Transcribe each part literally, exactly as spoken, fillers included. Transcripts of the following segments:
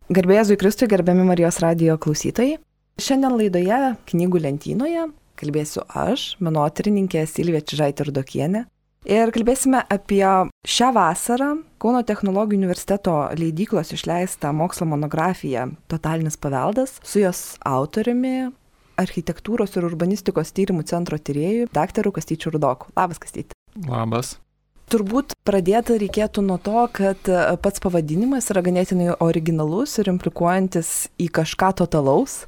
Garbė Jėzui Kristui, gerbiami Marijos radijo klausytojai. Šiandien laidoje Knygų lentynoje kalbėsiu aš, menotyrininkė Silvija Čižaitė-Rudokienė. Ir kalbėsime apie šią vasarą Kauno technologijų universiteto leidyklos išleistą mokslo monografiją Totalinis paveldas su jos autoriumi, architektūros ir urbanistikos tyrimų centro tyrėjų, daktaru Kastyčiu Rudoku. Labas, Kastyti. Labas. Turbūt pradėti reikėtų nuo to, kad pats pavadinimas yra ganėtinai originalus ir implikuojantis į kažką totalaus.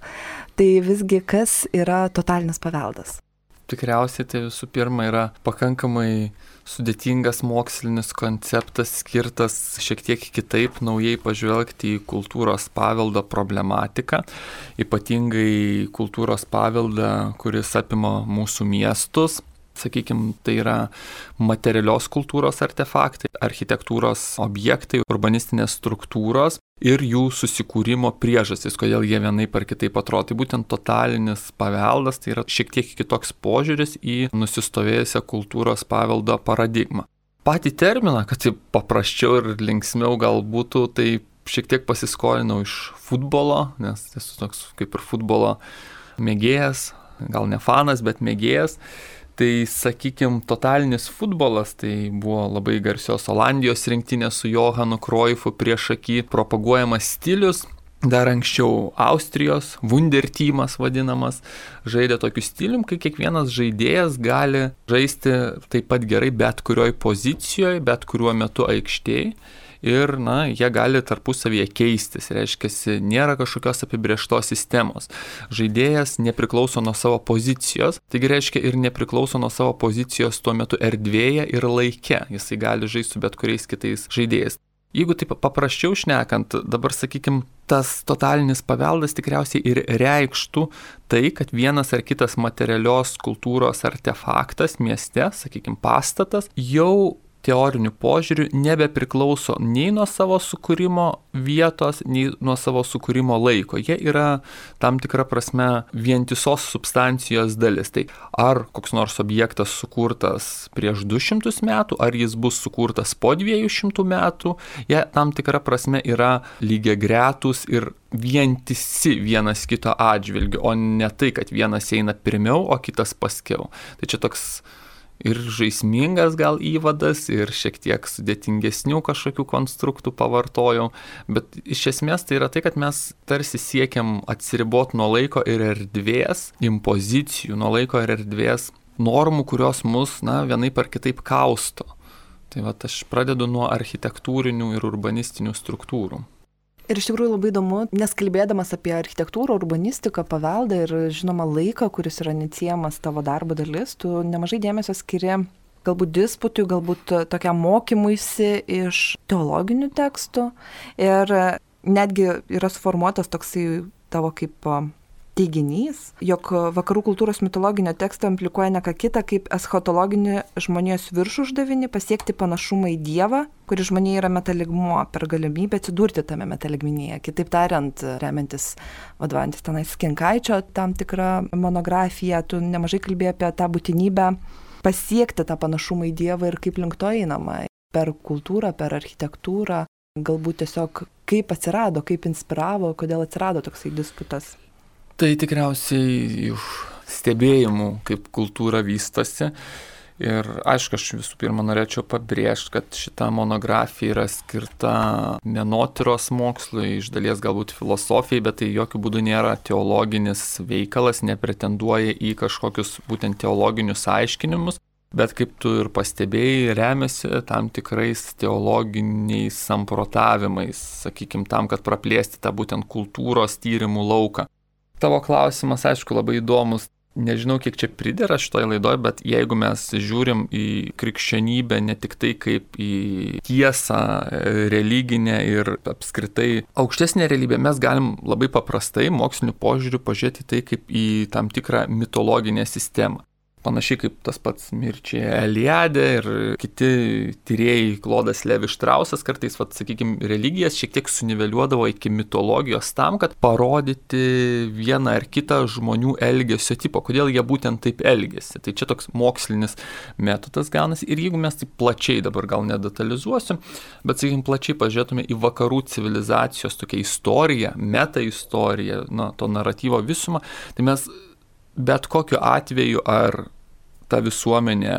Tai visgi kas yra totalinis paveldas? Tikriausiai tai visų pirma yra pakankamai sudėtingas mokslinis konceptas, skirtas šiek tiek kitaip naujai pažvelgti į kultūros paveldo problematiką, ypatingai kultūros paveldą, kuris apima mūsų miestus. Sakykime, tai yra materialios kultūros artefaktai, architektūros objektai, urbanistinės struktūros ir jų susikūrimo priežastys, kodėl jie vienaip ar kitaip atrodo. Tai būtent totalinis paveldas, tai yra šiek tiek kitoks požiūris į nusistovėjusią kultūros paveldo paradigmą. Patį terminą, kad tai paprasčiau ir linksmiau gal būtų, tai šiek tiek pasiskolinau iš futbolo, nes esu toks kaip ir futbolo mėgėjas, gal ne fanas, bet mėgėjas. Tai, sakykime, totalinis futbolas, tai buvo labai garsios Olandijos rinktinės su Johanu Cruyffu priešaky propaguojamas stilius. Dar anksčiau Austrijos Wunderteamas vadinamas žaidė tokiu stilium, kai kiekvienas žaidėjas gali žaisti taip pat gerai bet kurioj pozicijoje, bet kuriuo metu aikštėje. Ir, na, jie gali tarpusavyje keistis, reiškia, nėra kažkokios apibrėžtos sistemos. Žaidėjas nepriklauso nuo savo pozicijos, taigi reiškia ir nepriklauso nuo savo pozicijos tuo metu erdvėje ir laike, jisai gali žaisti su bet kuriais kitais žaidėjais. Jeigu taip paprasčiau šnekant, dabar, sakykime, tas totalinis paveldas tikriausiai ir reikštų tai, kad vienas ar kitas materialios kultūros artefaktas mieste, sakykime, pastatas, jau teoriniu požiūriu nebepriklauso nei nuo savo sukūrimo vietos, nei nuo savo sukūrimo laiko. Jie yra tam tikra prasme vientisos substancijos dalis. Tai ar koks nors objektas sukurtas prieš du šimtus metų, ar jis bus sukurtas po dviejų šimtų metų, jie tam tikra prasme yra lygiagretūs ir vientisi vienas kito atžvilgiu, o ne tai, kad vienas eina pirmiau, o kitas paskiau. Tai čia toks ir žaismingas gal įvadas, ir šiek tiek sudėtingesnių kažkokių konstruktų pavartojau, bet iš esmės tai yra tai, kad mes tarsi siekiam atsiriboti nuo laiko ir erdvės, impozicijų, nuo laiko ir erdvės normų, kurios mus, na, vienaip ar kitaip kausto. Tai va, aš pradedu nuo architektūrinių ir urbanistinių struktūrų. Ir iš tikrųjų labai įdomu, nes kalbėdamas apie architektūrą, urbanistiką, paveldą ir žinoma laiką, kuris yra neatsiejamas tavo darbo dalis, tu nemažai dėmesio skiri galbūt disputui, galbūt tokiam mokymuisi iš teologinių tekstų. Ir netgi yra suformuotas toksai tavo kaip teiginys, jog vakarų kultūros mitologinio teksto implikuoja ne ką kitą kaip eschatologinį žmonijos viršų uždavinį pasiekti panašumą į Dievą, kuris žmonija yra metaligmuo per galimybę atsidurti tame metaligminėje. Kitaip tariant, remiantis vadovantis tenais Kinkaičio tam tikrą monografiją, tu nemažai kalbėjai apie tą būtinybę pasiekti tą panašumą į Dievą ir kaip link to einama. Per kultūrą, per architektūrą, galbūt tiesiog kaip atsirado, kaip inspiravo, kodėl atsirado toksai disputas. Tai tikriausiai iš stebėjimų, kaip kultūra vystosi. Ir aišku, aš visų pirma norėčiau pabrėžti, kad šita monografija yra skirta menotyros mokslui, iš dalies galbūt filosofijai, bet tai jokių būdų nėra teologinis veikalas, nepretenduoja į kažkokius būtent teologinius aiškinimus. Bet kaip tu ir pastebėjai, remiasi tam tikrais teologiniais samprotavimais, sakykime, tam, kad praplėsti tą būtent kultūros tyrimų lauką. Tavo klausimas, aišku, labai įdomus. Nežinau, kiek čia pridera šitoje laidoje, bet jeigu mes žiūrim į krikščionybę ne tik tai kaip į tiesą religinę ir apskritai aukštesnę realybę, mes galim labai paprastai moksliniu požiūriu pažiūrėti tai kaip į tam tikrą mitologinę sistemą. Panašiai kaip tas pats Mirčia Eliade ir kiti tyrėjai, Klodas Levi Štrausas kartais, vat, sakykime, religijas šiek tiek suniveliuodavo iki mitologijos tam, kad parodyti vieną ar kitą žmonių elgesio tipo, kodėl jie būtent taip elgesi. Tai čia toks mokslinis metodas gaunasi. Ir jeigu mes taip plačiai, dabar gal nedetalizuosiu, bet, sakykime, plačiai pažiūrėtume į vakarų civilizacijos tokią istoriją, meta istoriją, na, to naratyvo visumą, tai mes bet kokiu atveju, ar ta visuomenė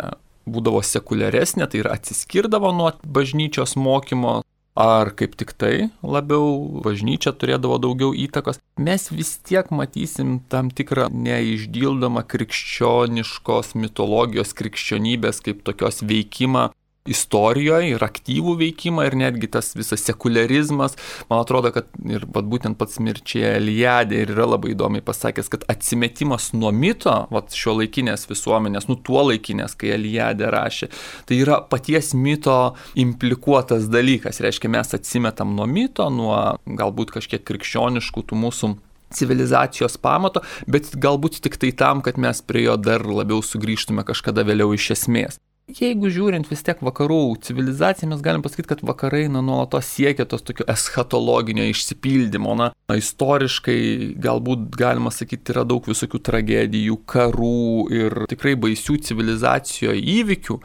būdavo sekuliaresnė, tai ir atsiskirdavo nuo bažnyčios mokymo, ar kaip tik tai labiau bažnyčia turėdavo daugiau įtakos, mes vis tiek matysim tam tikrą neišdildomą krikščioniškos mitologijos, krikščionybės kaip tokios veikimą istorijoje ir aktyvų veikimą ir netgi tas visas sekularizmas. Man atrodo, kad ir vat, būtent pats Mirčia Eliade ir yra labai įdomiai pasakęs, kad atsimetimas nuo mito, vat, šio laikinės visuomenės, nu tuo laikinės, kai Eliade rašė, tai yra paties mito implikuotas dalykas. Reiškia, mes atsimetam nuo mito, nuo galbūt kažkiek krikščioniškų tų mūsų civilizacijos pamato, bet galbūt tik tai tam, kad mes prie jo dar labiau sugrįžtume kažkada vėliau iš esmės. Jeigu žiūrint vis tiek vakarų civilizaciją, mes galim pasakyti, kad vakarai na, nuolatos siekia tos tokio eschatologinio išsipildymo. Na, istoriškai galbūt galima sakyti yra daug visokių tragedijų, karų ir tikrai baisių civilizacijoje įvykių.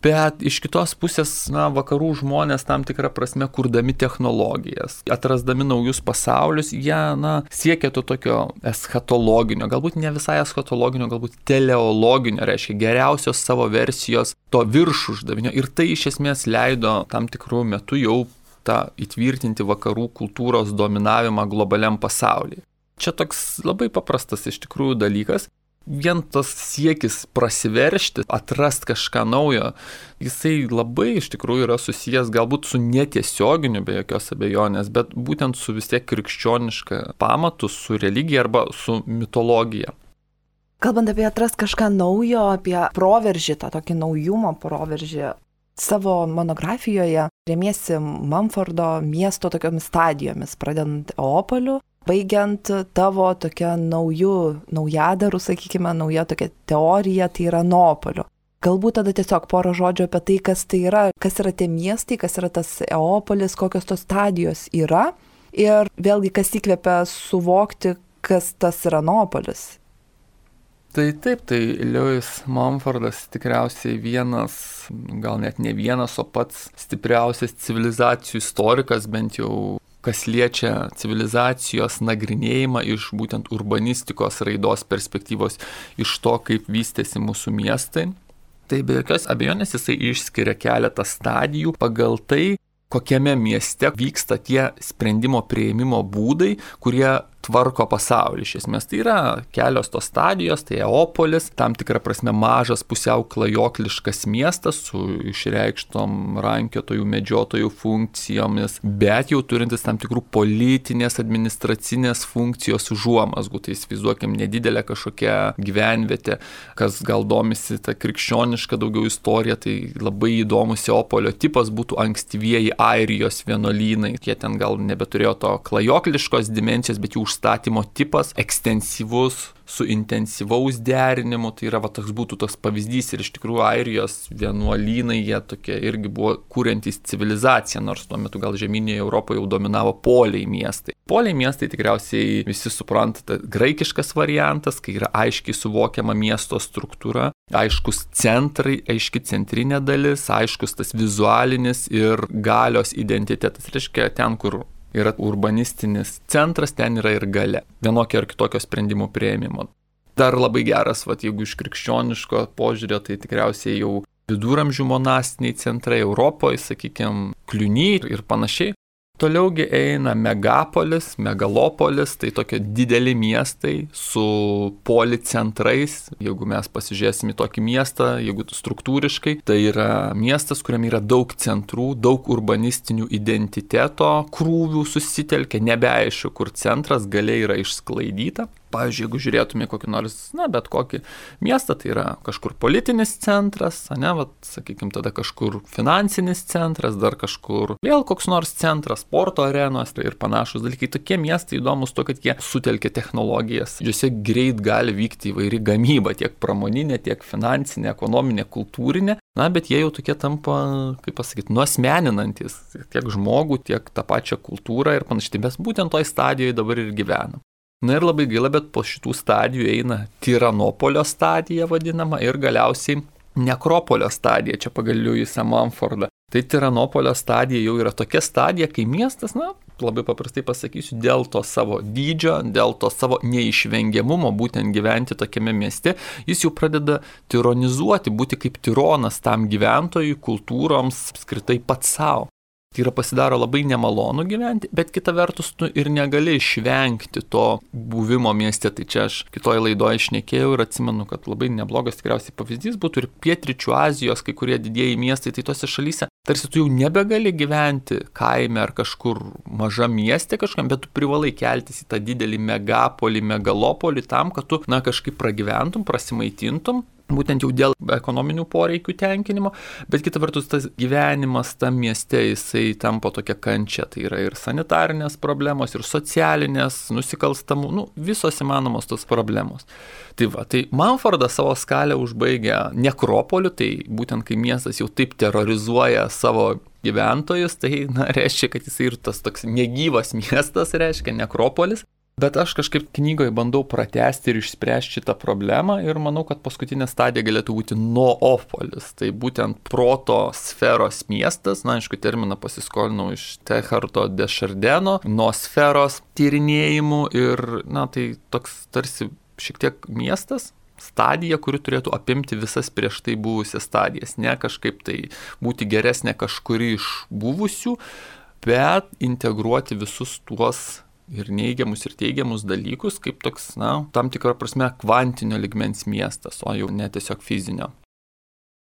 Bet iš kitos pusės, na, vakarų žmonės tam tikrą prasme kurdami technologijas, atrasdami naujus pasaulius, jie, na, siekia to tokio eschatologinio, galbūt ne visai eschatologinio, galbūt teleologinio, reiškia geriausios savo versijos to viršų uždavinio. Ir tai iš esmės leido tam tikrų metų jau tą įtvirtinti vakarų kultūros dominavimą globaliam pasaulyje. Čia toks labai paprastas iš tikrųjų dalykas. Vien tas siekis prasiveršti, atrast kažką naujo, jisai labai iš tikrųjų yra susijęs galbūt su netiesioginiu be jokios abejonės, bet būtent su vis tiek krikščioniška pamatu, su religija arba su mitologija. Kalbant apie atrast kažką naujo, apie proveržį, tą tokį naujumo proveržį, savo monografijoje remiesi Mumfordo miesto tokiomis stadijomis, pradedant Eopoliu, baigiant tavo tokia naujų, naujadarų, sakykime, nauja tokia teorija, tai yra Neapolio. Galbūt tada tiesiog porą žodžių apie tai, kas tai yra, kas yra tie miestai, kas yra tas Eopolis, kokios tos stadijos yra ir vėlgi, kas įkvepia suvokti, kas tas yra Neapolis. Tai taip, tai Lewis Mumfordas tikriausiai vienas, gal net ne vienas, o pats stipriausias civilizacijų istorikas, bent jau kas liečia civilizacijos nagrinėjimą iš būtent urbanistikos raidos perspektyvos, iš to, kaip vystėsi mūsų miestai. Tai be jokios abejonės jisai išskiria keletą stadijų pagal tai, kokiame mieste vyksta tie sprendimo priėmimo būdai, kurie tvarko pasaulį. Iš esmės tai yra kelios tos stadijos, tai Eopolis, tam tikrą prasme mažas pusiau klajokliškas miestas su išreikštom rankiotojų, medžiotojų funkcijomis, bet jau turintis tam tikrų politinės, administracinės funkcijos užuomazgų. Tai įsivaizduokim nedidelę kažkokią gyvenvietę, kas gal domisi tą krikščionišką daugiau istoriją, tai labai įdomus Eopolio tipas būtų ankstyvieji Airijos vienuolynai. Jie ten gal nebeturėjo to klajokliškos dimensijos, bet jų užstatymo tipas ekstensyvus su intensyvaus derinimu, tai yra va, toks būtų toks pavyzdys ir iš tikrųjų Airijos vienuolynai, jie tokie irgi buvo kuriantys civilizaciją, nors tuo metu gal žemynėje Europoje jau dominavo poliai miestai. Poliai miestai tikriausiai visi supranta, graikiškas variantas, kai yra aiškiai suvokiama miesto struktūra, aiškus centrai, aiški centrinė dalis, aiškus tas vizualinis ir galios identitetas. Reiškia, ten, kur yra urbanistinis centras, ten yra ir galia. Vienokio ar kitokio sprendimų priėmimo. Dar labai geras, vat, jeigu iš krikščioniško požiūrio, tai tikriausiai jau viduramžių monastiniai centrai Europoje, sakykime, Kliuny ir panašiai. Toliaugi eina Megapolis, Megalopolis, tai tokie dideli miestai su policentrais. Jeigu mes pasižiūrėsim į tokį miestą, jeigu struktūriškai, tai yra miestas, kuriame yra daug centrų, daug urbanistinių identiteto krūvių susitelkia, nebeaišku, kur centras galia yra išsklaidyta. Pavyzdžiui, jeigu žiūrėtume kokį nors, na, bet kokį miestą, tai yra kažkur politinis centras, ne, vat, sakykime, tada kažkur finansinis centras, dar kažkur vėl koks nors centras, sporto arenos ir panašus dalykai. Tokie miestai įdomus to, kad jie sutelkia technologijas. Juose greit gali vykti įvairi gamyba, tiek pramoninė, tiek finansinė, ekonominė, kultūrinė. Na, bet jie jau tokie tampa, kaip pasakyti, nuasmeninantis tiek žmogų, tiek tą pačią kultūrą ir panašiai. Mes būtent toj stadijoje dabar ir gyvenam. Na ir labai gaila, bet po šitų stadijų eina tiranopolio stadija vadinama ir galiausiai nekropolio stadija, čia pagal Liujisą Mumfordą. Tai tiranopolio stadija jau yra tokia stadija, kai miestas, na, labai paprastai pasakysiu, dėl to savo dydžio, dėl to savo neišvengiamumo būtent gyventi tokiame mieste, jis jau pradeda tironizuoti, būti kaip tironas tam gyventojui, kultūroms, apskritai pats savo. Tai yra pasidaro labai nemalonu gyventi, bet kita vertus tu ir negali išvengti to buvimo mieste. Tai čia aš kitoje laidoje šnekėjau ir atsimenu, kad labai neblogas tikriausiai pavyzdys būtų ir Pietryčių Azijos kai kurie didieji miestai, tai tose šalyse tarsi tu jau nebegali gyventi kaime ar kažkur mažam mieste kažkam, bet tu privalai keltis į tą didelį megapolį, megalopolį tam, kad tu, na, kažkaip pragyventum, prasimaitintum. Būtent jau dėl ekonominių poreikių tenkinimo, bet kita vertus tas gyvenimas tam mieste jisai tampa tokia kančia, tai yra ir sanitarinės problemos, ir socialinės, nusikalstamų, nu, visos įmanomos tos problemos. Tai va, tai Mumfordas savo skalę užbaigia nekropoliu, tai būtent kai miestas jau taip terrorizuoja savo gyventojus, tai, na, reiškia, kad jisai ir tas toks negyvas miestas, reiškia nekropolis. Bet aš kažkaip knygoje bandau pratęsti ir išspręsti šitą problemą ir manau, kad paskutinė stadija galėtų būti noopolis. Tai būtent proto sferos miestas, na, aišku, terminą pasiskolinau iš Teilhardo de Chardino, noosferos tyrinėjimų ir, na, tai toks tarsi šiek tiek miestas, stadija, kuri turėtų apimti visas prieš tai buvusias stadijas, ne kažkaip tai būti geresnė kažkuri iš buvusių, bet integruoti visus tuos ir neigiamus ir teigiamus dalykus, kaip toks, na, tam tikrą prasme kvantinio ligmens miestas, o jau ne tiesiog fizinio.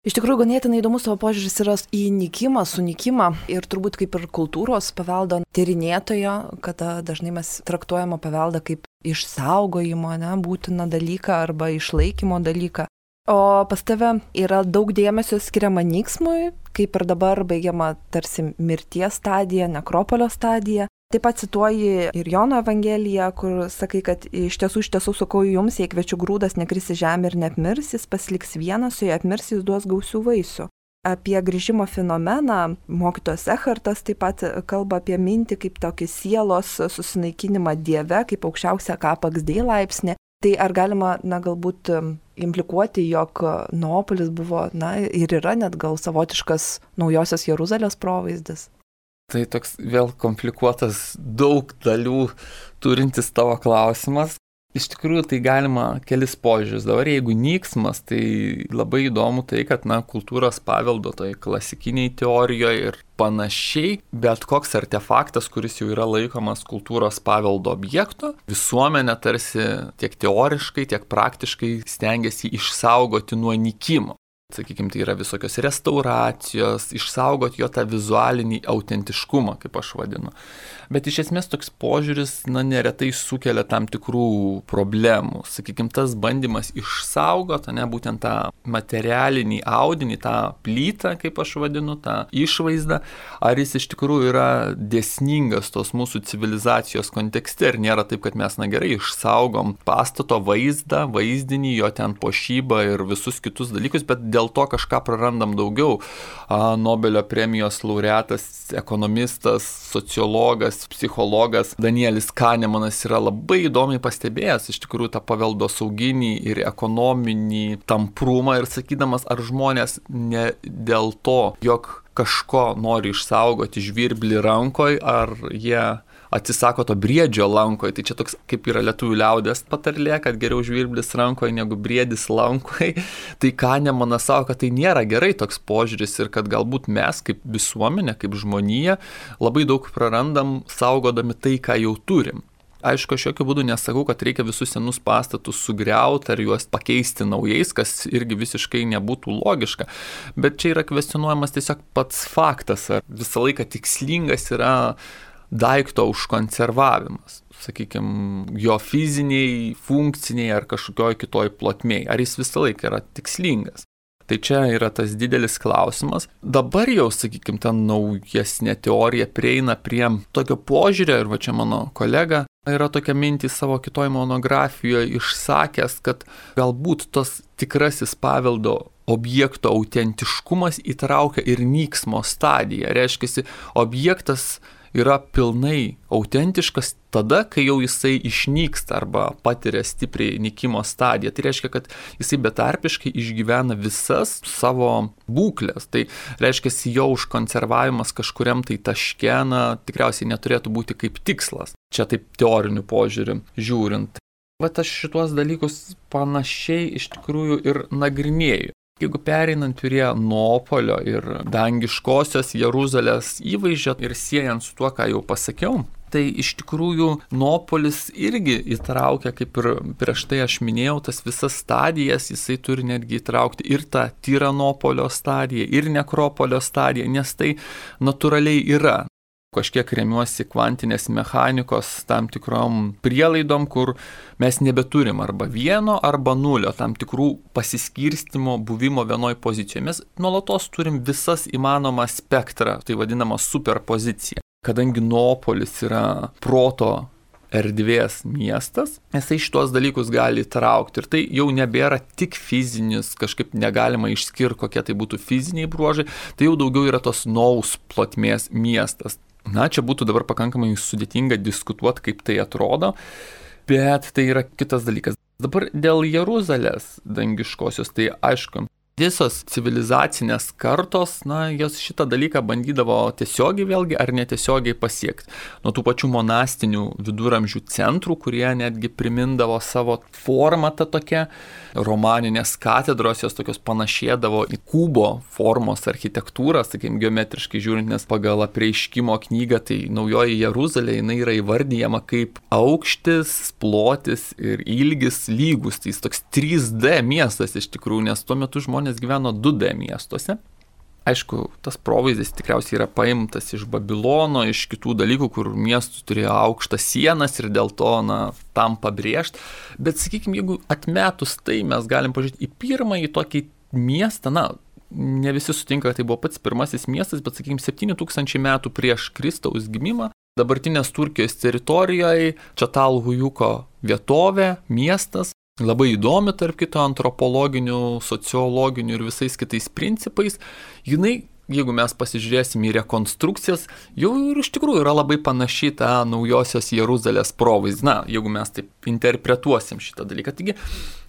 Iš tikrųjų, ganėtinai įdomus savo požiūris yra į nykimą, sunykimą ir turbūt kaip ir kultūros paveldo tyrinėtojo, kada dažnai mes traktuojame paveldą kaip išsaugojimo, ne, būtiną dalyką arba išlaikymo dalyką. O pas tave yra daug dėmesio skiriama nyksmui, kaip ir dabar baigiama tarsi mirties stadija, nekropolio stadija. Taip pat cituoji ir Jono Evangeliją, kur sakai, kad iš tiesų, iš tiesų sakau jums, jei kviečių grūdas nekris į žemę ir neapmirs, jis pasiliks vienas, o jei apmirs, jis duos gausių vaisių. Apie grįžimo fenomeną mokytojas Echartas taip pat kalba apie mintį kaip tokį sielos susinaikinimą Dieve, kaip aukščiausią kapαξdė laipsnį. Tai ar galima, na, galbūt implikuoti, jog Noopolis buvo, na, ir yra net gal savotiškas naujosios Jeruzalės provaizdis? Tai toks vėl komplikuotas, daug dalių turintis tavo klausimas. Iš tikrųjų, tai galima kelis požiūrius. Dabar jeigu nyksmas, tai labai įdomu tai, kad, na, kultūros paveldo toj klasikiniai teorijoje ir panašiai, bet koks artefaktas, kuris jau yra laikomas kultūros paveldo objekto, visuomenė tarsi tiek teoriškai, tiek praktiškai stengiasi išsaugoti nuo nykimo. Sakykime, tai yra visokios restauracijos, išsaugoti jo tą vizualinį autentiškumą, kaip aš vadinu. Bet iš esmės toks požiūris, na, neretai sukelia tam tikrų problemų. Sakykime, tas bandymas išsaugoti, ne, būtent tą materialinį audinį, tą plytą, kaip aš vadinu, tą išvaizdą, ar jis iš tikrųjų yra dėsningas tos mūsų civilizacijos kontekste, ir nėra taip, kad mes, na, gerai išsaugom pastato vaizdą, vaizdinį, jo ten puošybą ir visus kitus dalykus, bet dėl to kažką prarandam daugiau. A, Nobelio premijos laureatas, ekonomistas, sociologas, psichologas Danielis Kanemanas yra labai įdomiai pastebėjęs iš tikrųjų tą paveldosauginį ir ekonominį tamprumą ir sakydamas, ar žmonės ne dėl to, jog kažko nori išsaugoti žvirblį rankoj, ar jie atsisako to briedžio lankoje. Tai čia toks kaip yra lietuvių liaudės patarlė, kad geriau žvirblis rankoje negu briedis lankoje. Tai Kanemanas sako, kad tai nėra gerai toks požiūris ir kad galbūt mes kaip visuomenė, kaip žmonija labai daug prarandam saugodami tai, ką jau turim. Aišku, aš jokių būdų nesakau, kad reikia visus senus pastatus sugriauti ar juos pakeisti naujais, kas irgi visiškai nebūtų logiška. Bet čia yra kvestionuojamas tiesiog pats faktas, ar visą laiką tikslingas yra daikto užkonservavimas, sakykime, jo fiziniai, funkciniai ar kažkokioj kitoj plotmėj, ar jis visą laiką yra tikslingas. Tai čia yra tas didelis klausimas. Dabar jau, sakykime, ta naujesnė teorija prieina prie tokio požiūrio, ir va čia mano kolega yra tokia mintį savo kitoj monografijoje išsakęs, kad galbūt tas tikrasis paveldo objekto autentiškumas įtraukia ir nyksmo stadiją. Reiškia, objektas yra pilnai autentiškas tada, kai jau jisai išnyksta arba patiria stipriai nykimo stadiją. Tai reiškia, kad jisai betarpiškai išgyvena visas savo būklės. Tai reiškia, jo užkonservavimas kažkuriam tai taške, na, tikriausiai neturėtų būti kaip tikslas. Čia taip teoriniu požiūriu žiūrint. Vat aš šituos dalykus panašiai iš tikrųjų ir nagrinėju. Jeigu pereinant prie Nuopolio ir dangiškosios Jeruzalės įvaizdžio ir siejant su tuo, ką jau pasakiau, tai iš tikrųjų Nuopolis irgi įtraukia, kaip ir prieš tai aš minėjau, tas visas stadijas, jisai turi netgi įtraukti ir tą Tiranopolio stadiją, ir Nekropolio stadiją, nes tai natūraliai yra. Kažkiek remiuosi kvantinės mechanikos tam tikrom prielaidom, kur mes nebeturim arba vieno, arba nulio, tam tikrų pasiskirstimo buvimo vienoj pozicijoje. Mes nuolatos turim visas įmanomą spektrą, tai vadinama superpozicija. Kadangi Nuopolis yra proto erdvės miestas, jisai šitos dalykus gali įtraukti. Ir tai jau nebėra tik fizinis, kažkaip negalima išskirti, kokie tai būtų fiziniai bruožai, tai jau daugiau yra tos naus plotmės miestas. Na, čia būtų dabar pakankamai sudėtinga diskutuoti, kaip tai atrodo, bet tai yra kitas dalykas. Dabar dėl Jeruzalės dangiškosios, tai aišku, visos civilizacinės kartos, na, jos šitą dalyką bandydavo tiesiogiai vėlgi ar netiesiogiai pasiekti. Nuo tų pačių monastinių viduramžių centrų, kurie netgi primindavo savo formą tą tokią, romaninės katedros, jos tokios panašėdavo į kubo formos architektūrą, sakykime, geometriškai žiūrint, nes pagal Apreiškimo knygą, tai naujoji Jeruzalė, jinai yra įvardyjama kaip aukštis, plotis ir ilgis lygus. Tai jis toks trys D miestas iš tikrųjų, nes tuo metu žmonės gyveno du D miestuose. Aišku, tas provaizdis tikriausiai yra paimtas iš Babilono, iš kitų dalykų, kur miestų turėjo aukštas sienas ir dėl to, na, tam pabrėžti. Bet, sakykime, jeigu atmetus tai, mes galim pažiūrėti į pirmąjį tokį miestą, na, ne visi sutinka, kad tai buvo pats pirmasis miestas, bet, sakykime, septyni tūkstančiai metų prieš Kristaus gimimą, dabartinės Turkijos teritorijoje, Čatalhujuko vietovė, miestas, labai įdomi, tarp kito, antropologinių, sociologinių ir visais kitais principais. Jinai, jeigu mes pasižiūrėsim į rekonstrukcijas, jau ir iš tikrųjų yra labai panaši tą naujosios Jeruzalės provaizdį. Na, jeigu mes taip interpretuosim šitą dalyką. Taigi,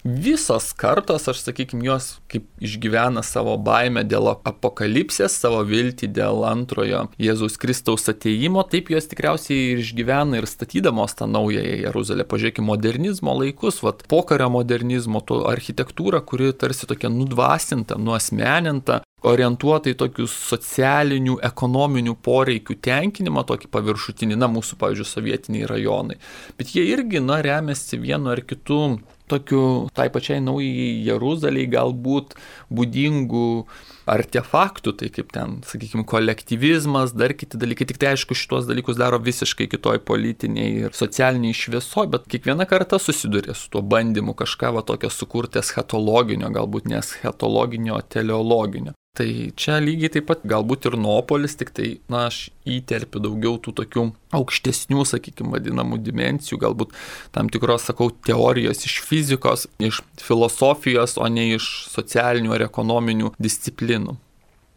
visos kartos, aš sakykime, jos kaip išgyvena savo baimę dėl apokalipsės, savo viltį dėl antrojo Jėzaus Kristaus atėjimo, taip jos tikriausiai ir išgyvena ir statydamos tą naująją Jeruzalę. Pažiūrėkime modernizmo laikus, vat, pokario modernizmo, to architektūrą, kuri tarsi tokia nudvasinta, nuasmeninta, orientuota į tokius socialinių, ekonominių poreikių tenkinimą, tokį paviršutinį, na, mūsų, pavyzdžiui, sovietiniai rajonai. Bet jie irgi, na, remiasi vienu ar kitu tokiu, tai pačiai naujai Jeruzalei galbūt būdingų artefaktų, tai kaip ten, sakykime, kolektyvizmas, dar kiti dalykai. Tik tai, aišku, šitos dalykus daro visiškai kitoj politiniai ir socialiniai šviesoj, bet kiekvieną kartą susiduria su tuo bandymu kažką va tokio sukurti eschatologinio, galbūt ne eschatologinio, teleologinio. Tai čia lygiai taip pat galbūt ir Nuopolis, tik tai, na, aš įterpiu daugiau tų tokių aukštesnių, sakykime, vadinamų dimensijų, galbūt tam tikros, sakau, teorijos iš fizikos, iš filosofijos, o ne iš socialinių ar ekonominių disciplinų.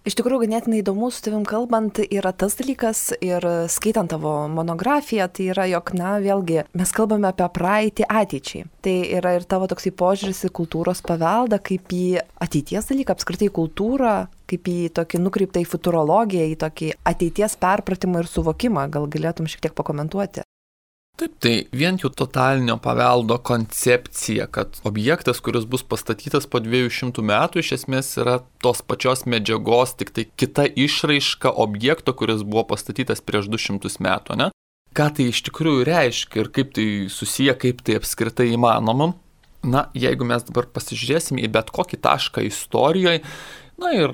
Iš tikrųjų, ganėtinai įdomu su tavim kalbant yra tas dalykas ir skaitant tavo monografiją, tai yra, jog, na, vėlgi, mes kalbame apie praeitį ateičiai. Tai yra ir tavo toksai požiūris į kultūros paveldą, kaip į ateities dalyką, apskritai kultūrą, kaip į tokį nukreiptą į futurologiją, į tokį ateities perpratimą ir suvokimą. Gal galėtum šiek tiek pakomentuoti? Taip, tai vien jų totalinio paveldo koncepcija, kad objektas, kuris bus pastatytas po dviejų šimtų metų, iš esmės yra tos pačios medžiagos, tik tai kita išraiška objekto, kuris buvo pastatytas prieš du šimtus metų, ne? Ką tai iš tikrųjų reiškia ir kaip tai susiję, kaip tai apskritai įmanoma? Na, jeigu mes dabar pasižiūrėsime į bet kokį tašką istorijoje, Na ir,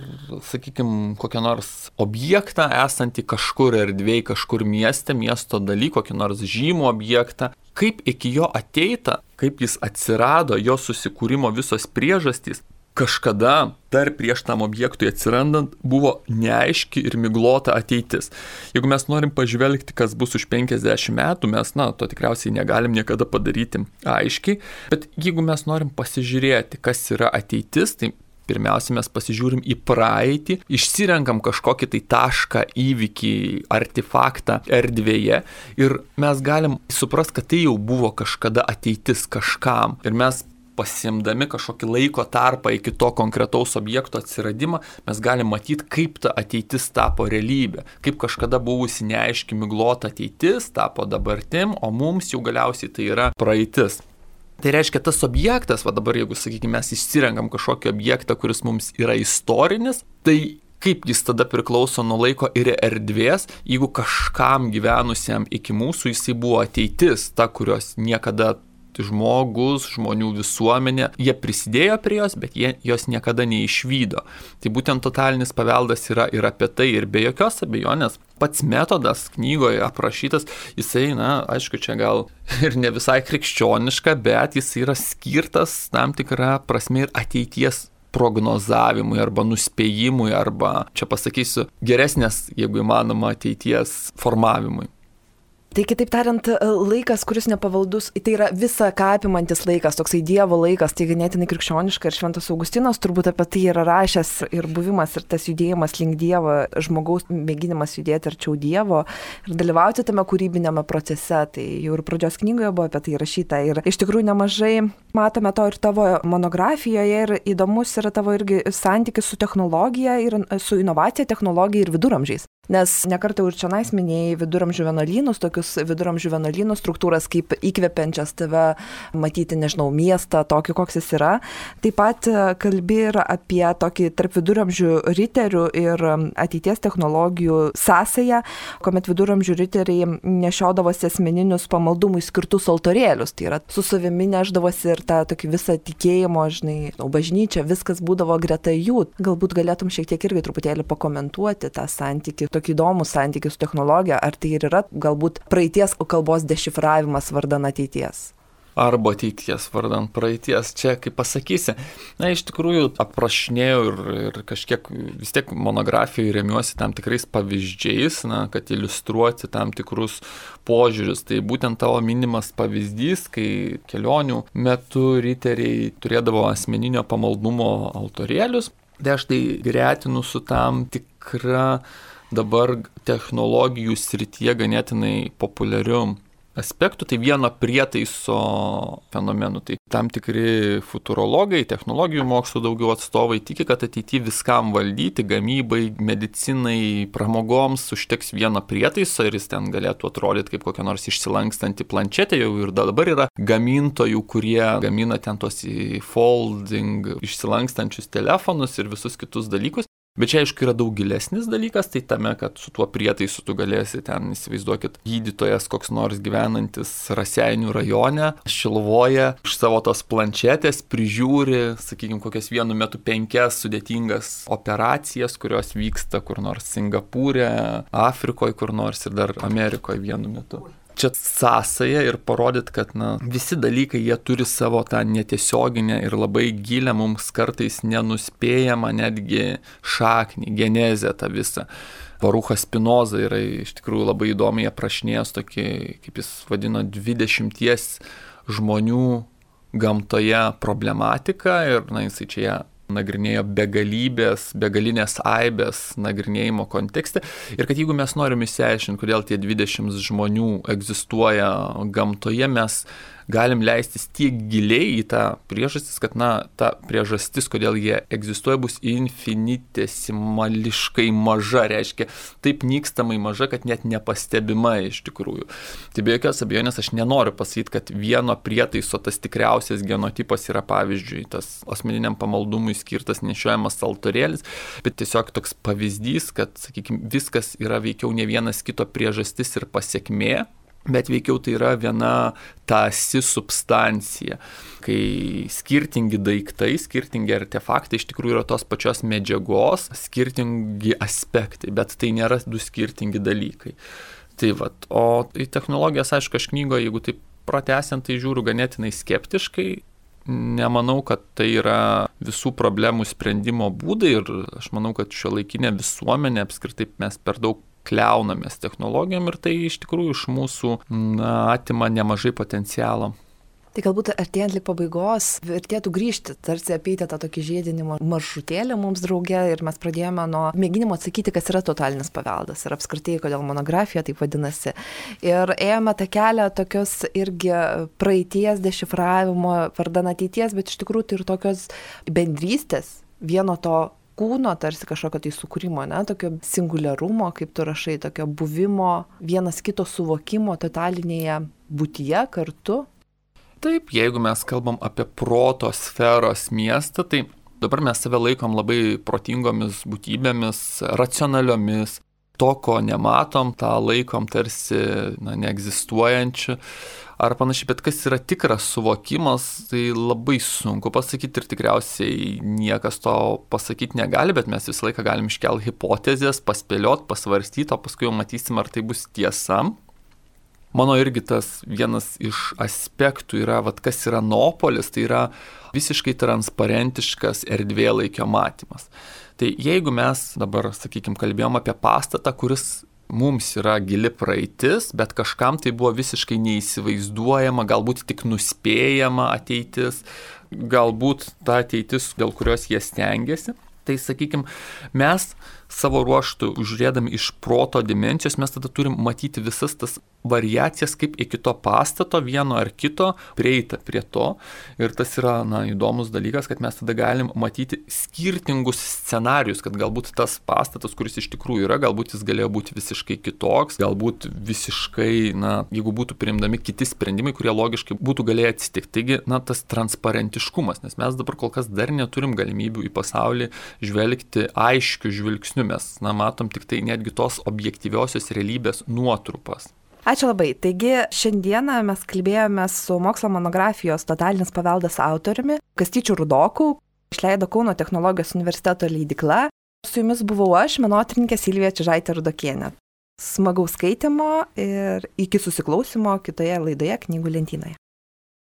sakykime, kokią nors objektą esantį kažkur erdvėj, kažkur mieste, miesto daly, kokį nors žymų objektą, kaip iki jo ateita, kaip jis atsirado, jo susikūrimo visos priežastys, kažkada dar prieš tam objektui atsirandant buvo neaiški ir miglota ateitis. Jeigu mes norim pažvelgti, kas bus už penkiasdešimt metų, mes, na, to tikriausiai negalim niekada padaryti aiškiai, bet jeigu mes norim pasižiūrėti, kas yra ateitis, tai pirmiausia, mes pasižiūrim į praeitį, išsirenkam kažkokį tai tašką, įvykį, artefaktą erdvėje ir mes galim suprasti, kad tai jau buvo kažkada ateitis kažkam. Ir mes pasiimdami kažkokį laiko tarpą iki to konkretaus objekto atsiradimą, mes galim matyti, kaip ta ateitis tapo realybė, kaip kažkada buvusi neaiški miglota ateitis tapo dabartim, o mums jau galiausiai tai yra praeitis. Tai reiškia, tas objektas, va dabar jeigu, sakykime, mes išsirenkam kažkokį objektą, kuris mums yra istorinis, tai kaip jis tada priklauso nuo laiko ir erdvės, jeigu kažkam gyvenusiam iki mūsų jisai buvo ateitis, ta, kurios niekada žmogus, žmonių visuomenė, jie prisidėjo prie jos, bet jie jos niekada neišvydo. Tai būtent totalinis paveldas yra ir apie tai, ir be jokios abejonės pats metodas knygoje aprašytas, jisai, na, aišku, čia gal ir ne visai krikščioniška, bet jis yra skirtas tam tikrą prasme ir ateities prognozavimui arba nuspėjimui, arba, čia pasakysiu, geresnės, jeigu įmanoma, ateities formavimui. Tai kitaip tariant, laikas, kuris nepavaldus, tai yra visa ką apimantis laikas, toksai Dievo laikas, tai ganėtinai krikščioniška ir Šventas Augustinas turbūt apie tai yra rašęs ir buvimas ir tas judėjimas link Dievo, žmogaus mėginimas judėti arčiau Dievo ir dalyvauti tame kūrybinėme procese, tai jau ir pradžios knygoje buvo apie tai rašyta ir iš tikrųjų nemažai matome to ir tavo monografijoje ir įdomus yra tavo irgi santykis su technologija ir su inovacija, technologija ir viduramžiais. Nes nekartą ir čionais minėjai viduramžių vienuolynus, tokius viduramžių vienuolynų struktūras kaip įkvepiančias tave matyti, nežinau, miestą, tokį, koks jis yra. Taip pat kalbi ir apie tokį tarp viduramžių riterių ir ateities technologijų sąsają, kuomet viduramžių riteriai nešiodavosi asmeninius pamaldumui skirtus altorėlius. Tai yra su savimi neždavosi ir tą tokį visą tikėjimo, žinai, bažnyčią, viskas būdavo greta jų. Galbūt galėtum šiek tiek irgi truputėlį pakomentuoti tą santykį, tokį įdomų santykį su technologija, ar tai ir yra galbūt praeities kalbos dešifravimas vardan ateities? Arba ateities vardan praeities. Čia, kaip pasakysi, na, iš tikrųjų aprašinėjau ir, ir kažkiek vis tiek monografijoje remiuosi tam tikrais pavyzdžiais, na, kad iliustruoti tam tikrus požiūrius. Tai būtent tavo minimas pavyzdys, kai kelionių metu riteriai turėdavo asmeninio pamaldumo altorėlius, tai aš tai gretinu su tam tikra dabar technologijų srityje ganėtinai populiariu aspektu, tai vieno prietaiso fenomenu. Tai tam tikri futurologai, technologijų mokslo daugiau atstovai tiki, kad ateityje viskam valdyti, gamybai, medicinai, pramogoms užteks vieno prietaiso ir jis ten galėtų atrodyti kaip kokia nors išsilankstanti planšetė. Jau ir dabar yra gamintojų, kurie gamina ten tos folding išsilankstančius telefonus ir visus kitus dalykus. Bet čia, aišku, yra daug gilesnis dalykas, tai tame, kad su tuo prietaisu tu galėsi ten, įsivaizduokit, gydytojas koks nors gyvenantis Raseinių rajone, Šiluvoje, iš savo tos planšetės prižiūri, sakykime, kokias vienu metu penkias sudėtingas operacijas, kurios vyksta kur nors Singapūre, Afrikoje kur nors ir dar Amerikoje vienu metu. Čia sąsaja ir parodyt, kad na, visi dalykai jie turi savo tą netiesioginę ir labai gilę, mums kartais nenuspėjamą netgi šaknį, genezę tą visą. Baruchas Spinoza yra iš tikrųjų labai įdomiai aprašinėjęs tokį, kaip jis vadino, dvidešimties žmonių gamtoje problematiką ir na, jisai čia ją nagrinėjo begalybės, begalinės aibės nagrinėjimo kontekste ir kad jeigu mes norim išsiaiškinti, kodėl tie dvidešimt žmonių egzistuoja gamtoje, mes galim leistis tiek giliai į tą priežastis, kad, na, ta priežastis, kodėl jie egzistuoja, bus infinitesimališkai maža, reiškia, taip nykstamai maža, kad net nepastebima iš tikrųjų. Tai be jokios abejonės aš nenoriu pasakyti, kad vieno prietaiso tas tikriausias genotipas yra, pavyzdžiui, tas asmeniniam pamaldumui skirtas nešiojamas altorėlis, bet tiesiog toks pavyzdys, kad, sakykime, viskas yra veikiau ne vienas kito priežastis ir pasiekmė. bet veikiau tai yra viena tąsi substancija, kai skirtingi daiktai, skirtingi artefaktai iš tikrųjų yra tos pačios medžiagos, skirtingi aspektai, bet tai nėra du skirtingi dalykai. Tai vat, o į technologijas, aišku, aš knygoje, jeigu taip pratęsiant, tai žiūriu ganėtinai skeptiškai. Nemanau, kad tai yra visų problemų sprendimo būdai ir aš manau, kad šiuolaikinė visuomenė apskritai mes per daug kliaunamės technologijom ir tai iš tikrųjų iš mūsų na, atima nemažai potencialo. Tai galbūt artėjant lik pabaigos vertėtų grįžti, tarsi apeiti tą tokį žiedinį maršrutėlį mums drauge ir mes pradėjome nuo mėginimo atsakyti, kas yra totalinis paveldas ir apskritai, kodėl monografija taip vadinasi. Ir ėjome tą kelią tokios irgi praeities dešifravimo vardan ateities, bet iš tikrųjų tai ir tokios bendrystės, vieno to kūno, tarsi kažkokio tai sukūrimo, ne, tokio singuliarumo, kaip tu rašai, tokio buvimo, vienas kito suvokimo totalinėje būtyje kartu. Taip, jeigu mes kalbam apie proto sferos miestą, tai dabar mes save laikom labai protingomis būtybėmis, racionaliomis, to, ko nematom, tą laikom tarsi na, neegzistuojančiu ar panašiai, bet kas yra tikras suvokimas, tai labai sunku pasakyti ir tikriausiai niekas to pasakyti negali, bet mes visą laiką galim iškelti hipotezės, paspėliot, pasvarstyti, o paskui jau matysim, ar tai bus tiesa. Mano irgi tas vienas iš aspektų yra, vat, kas yra noopolis, tai yra visiškai transparentiškas erdvėlaikio matymas. Tai jeigu mes dabar, sakykime, kalbėjom apie pastatą, kuris mums yra gili praeitis, bet kažkam tai buvo visiškai neįsivaizduojama, galbūt tik nuspėjama ateitis, galbūt ta ateitis, dėl kurios jie stengiasi, tai sakykime, mes savo ruoštų, žiūrėdami iš proto dimensijos, mes tada turim matyti visas tas variacijas, kaip iki to pastato vieno ar kito prieita prie to. Ir tas yra na, įdomus dalykas, kad mes tada galim matyti skirtingus scenarius, kad galbūt tas pastatas, kuris iš tikrųjų yra, galbūt jis galėjo būti visiškai kitoks, galbūt visiškai, na, jeigu būtų priimdami kiti sprendimai, kurie logiškai būtų galėję atsitikti. Taigi, na, tas transparentiškumas, nes mes dabar kol kas dar neturim galimybių į pasaulį žvelgti aiškiu žvilgsniu. Mes na, matom tik tai netgi tos objektyviosios realybės nuotrupas. Ačiū labai. Taigi šiandieną mes kalbėjome su mokslo monografijos Totalinis paveldas autoriumi Kastyčiu Rudoku, išleido Kauno technologijos universiteto leidykla. Su jumis buvau aš, menotyrininkė Silvija Čižaitė Rudokienė. Smagaus skaitimo ir iki susiklausimo kitoje laidoje Knygų lentynoje.